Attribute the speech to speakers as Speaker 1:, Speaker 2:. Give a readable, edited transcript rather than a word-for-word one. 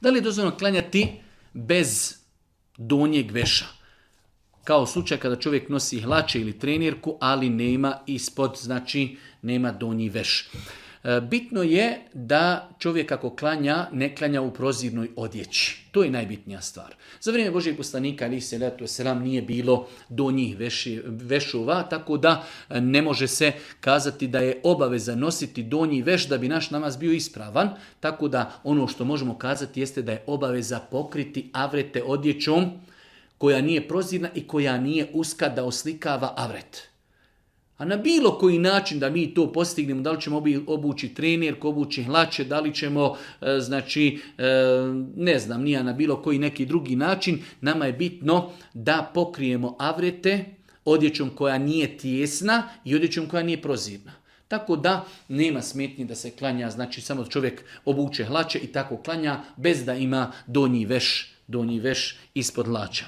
Speaker 1: Da li je dozvoljeno klanjati bez donjeg veša? Kao slučaj kada čovjek nosi hlače ili trenirku, ali nema ispod, znači nema donji veš. Bitno je da čovjek ako klanja, ne klanja u prozirnoj odjeći. To je najbitnija stvar. Za vrijeme Božijeg poslanika, alejhi selatu vesselam, nije bilo donjih vešova, tako da ne može se kazati da je obaveza nositi donji veš da bi naš namaz bio ispravan. Tako da ono što možemo kazati jeste da je obaveza pokriti avrete odjećom koja nije prozirna i koja nije uska da oslikava avret. A na bilo koji način da mi to postignemo, da li ćemo obući trenirku, obući hlače, da li ćemo, ne znam, nije na bilo koji neki drugi način, nama je bitno da pokrijemo avrete odjećom koja nije tijesna i odjećom koja nije prozirna. Tako da nema smetnji da se klanja, znači samo čovjek obuče hlače i tako klanja bez da ima donji veš ispod hlača.